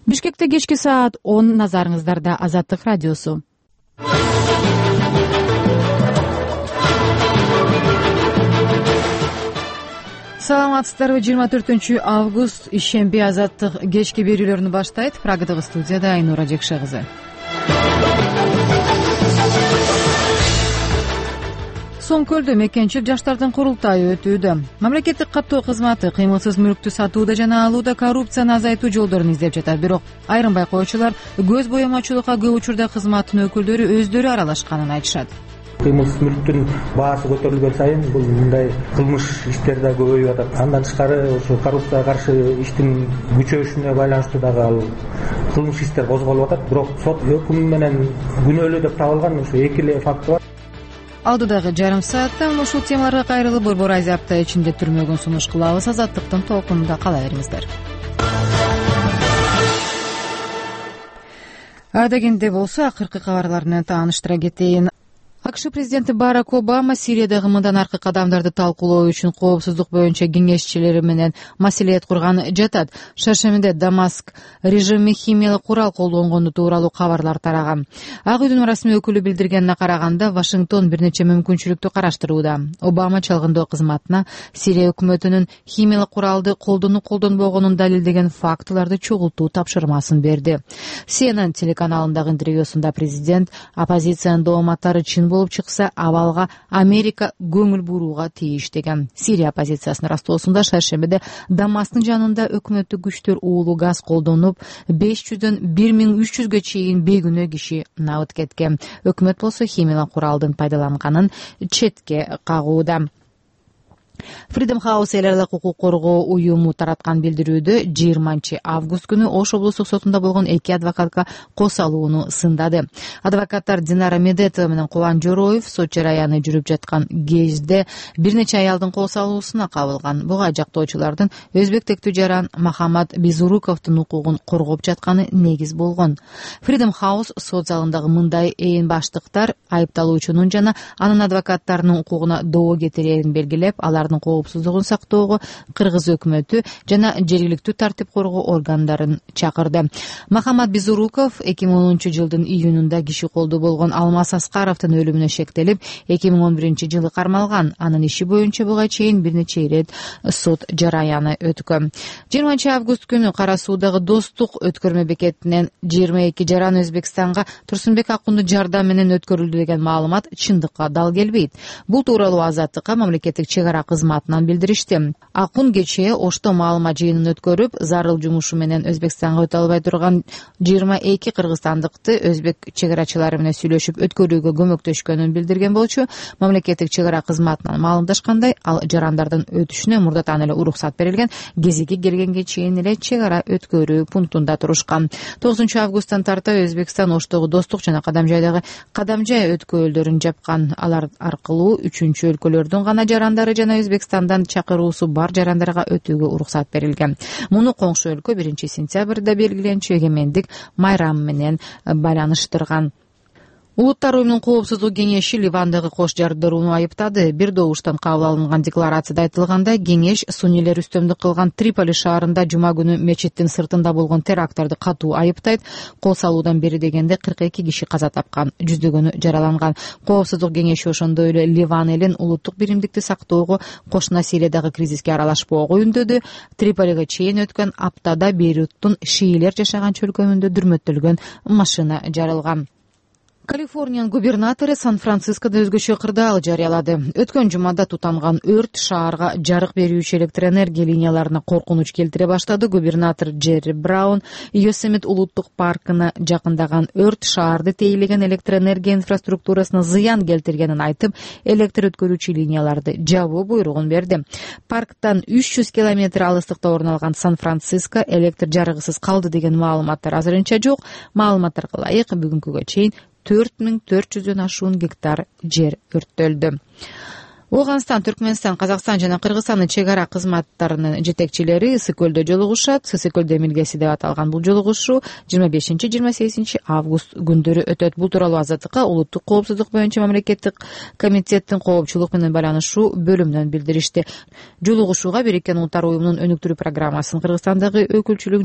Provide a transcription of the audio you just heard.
Бишкекте кечки саат 10, назарыңыздарда Азаттык радиосу. Саламатсыздарбы? 24 август ишемби Азаттык кечки берүүлөрүнү баштайт. Прагадагы студияда Айнура Жекше кызы. Соң көлдө мекенчил жаштардын курултайы өтүүдө. Мамлекеттик каттоо кызматы кыймылсыз мүлктү сатууда жана алууда коррупцияны азайтуу жолдорун издеп жатат. Бирок айрым байкоочулар көз боемочулукка көп учурда кызматтын өкүлдөрү өздөрү аралашканын айтышат. Кыймылсыз мүлктүн баасы көтөрүлгөн сайын бул мындай кылмыш иштер да көбөйүп атат. Андан тышкары ошо коррупцияга каршы иштин күчөшүнө байланыштуу дагы ал кылмыш иштер козголуп атат. Бирок сот өкүмү менен күнөөлүү деп табылган ошо эки эле факты бар. Алдыдагы жарым саатта ушул темаларга кайрылып борбор айза апта ичинде түрмөгүн сунуш кылабыз. Азаттыктын толкунунда кала бериңиздер. Дегенде болсо акыркы кабарлар менен тааныштыра кетейин. АКШ президенти Барак Обама Сириядагы мындан аркы кадамдарды талкуулоо үчүн коопсуздук боюнча кеңешчилери менен маселет курган жатат. Шаршембиде Дамаск режими химиялык курал колдонгону тууралуу кабарлар тараган. Ак үйдүн расмий өкүлү билдиргенине караганда, Вашингтон бир нече мүмкүнчүлүктү караштырууда. Обама чалгындоо кызматына Сирия өкмөтүнүн химиялык куралды колдонуп-колдонбогонун далилдеген фактыларды чогултуу тапшырмасын берди. CNN телеканалындагы интервьюсунда президент оппозициянын дооматтары чын болуп чыкса, абалга Америка көңүл бурууга тийиш деген. Сирия оппозициясынын растоосунда шаршембиде Дамасктын жанында өкмөттүк күчтөр уулуу газ колдонуп, 500дөн 1300гө чейин бейгүнөө киши набыт кеткен. Өкмөт болсо химиялык куралдын пайдаланганын четке кагууда. Freedom House эл аралык укук коргоо уюму тараткан билдирүүдө 20 август күнү Ош облустук сотунда болгон эки адвокатка кос алууну сындады. Адвокаттар Динара Медетова менен Кубан Жороев сот жараяны жүрүп жаткан кезде бир нече аялдын кос алуусуна кабылган. Буга жактоочулардын өзбек тектүү жаран Махамад Бизуруковдун укугун коргоп жатканы негиз болгон. Freedom House сот залындагы мындай ээн баштыктар айыпталуучунун жана анын адвокаттарынын укугуна доо кетирерин белгилеп, алардын коопсуздугун сактоого Кыргыз өкмөтү жана жергиликтүү тартип коргоо органдарын чакырды. Махамад Бизуруков 2010 жылдын июнунда киши колдуу болгон Алмаз Аскаровдун өлүмүнө шектелип, 2011 жылы кармалган. Анын иши боюнча буга чейин бир нече ирет сот жараяны өткөн. 20 август күнү Кара Суудагы Достук өткөрмө бекетинен 22 жаран Өзбекстанга Турсунбек Акунду жардам менен өткөрүлдү деген маалымат чындыкка дал келбейт. Бул тууралуу Азаттыкка мамлекеттик чек ара кызматынан билдиришти. Акун кечээ Ошто маалымат жыйынын өткөрүп, зарыл жумушу менен Өзбекстанга өтө албай турган 22 кыргызстандыкты өзбек чек арачылары менен сүйлөшүп өткөрүүгө көмөктөшкөнүн билдирген болчу. Мамлекеттик чек ара кызматынан маалымдашкандай, ал жарандардын өтүшүнө мурдатан эле уруксат берилген, кезеги келгенге чейин эле чек ара өткөрүү пунктунда турушкан. 9 августтан тарта Өзбекстан Оштогу Достук жана Кадамжай өткөлдөрүн жапкан. Алар аркылуу үчүнчү өлкөлөрдүн гана жарандары жана Өзбекстандан чакыруусу бар жарандарга өтүүгө уруксат берилген. Муну коңшу өлкө 1 сентябрда белгиленчү эгемендик майрамы менен байланыштырган. Улуттар уюмунун коопсуздук кеңеши Ливандагы кош жардырууну айыптады. Бир добуштан кабыл алынган декларацияда айтылгандай, кеңеш суннийлер үстөмдүк кылган Триполи шаарында жума күнү мечиттин сыртында болгон терактарды катуу айыптайт. Кол салуудан бери дегенде 42 киши каза тапкан, жүздөгөнү жараланган. Коопсуздук кеңеши ошондой эле Ливан элин улуттук биримдикти сактоого, кошуна Сириядагы кризиске аралашпоого үндөдү. Триполиге чейин өткөн аптада Бейруттун шиилер жашаган чөлкөмүндө дүрмөттөлгөн машина жарылган. Калифорниянын губернатору Сан-Францискодо өзгөчө кырдаал жарыялады. Өткөн жумада тутанган өрт шаарга жарык берүүчү электр энергия линияларына коркунуч келтире баштады. Губернатор Джерри Браун Йосемит улуттук паркына жакындаган өрт шаарды тейлеген электр энергия инфраструктурасына зыян келтиргенин айтып, электр өткөрүүчү линияларды жабуу буйругун берди. Парктан 300 километр алыстыкта орун алган Сан-Франциско электр жарыгысыз калды деген маалыматтар азырынча жок. Маалыматтарга ылайык бүгүнкүгө чейин 4400дөн ашуун гектар жер өрттөлдү. Ооганстан, Түркмөнстан, Казакстан жана Кыргызстандын чек ара кызматтарынын жетекчилери Ысык көлдө жолугушат. Ысык көл демилгеси деп аталган бул жолугушуу 25-28 август күндөрү өтөт. Бул тууралуу Азаттыкка улуттук коопсуздук боюнча мамлекеттик комитеттин коопчулук менен байланышуу бөлүмүнөн билдиришти. Жолугушууга Бириккен Улуттар уюмунун өнүктүрүү программасынын Кыргызстандагы өкүлчүлүгү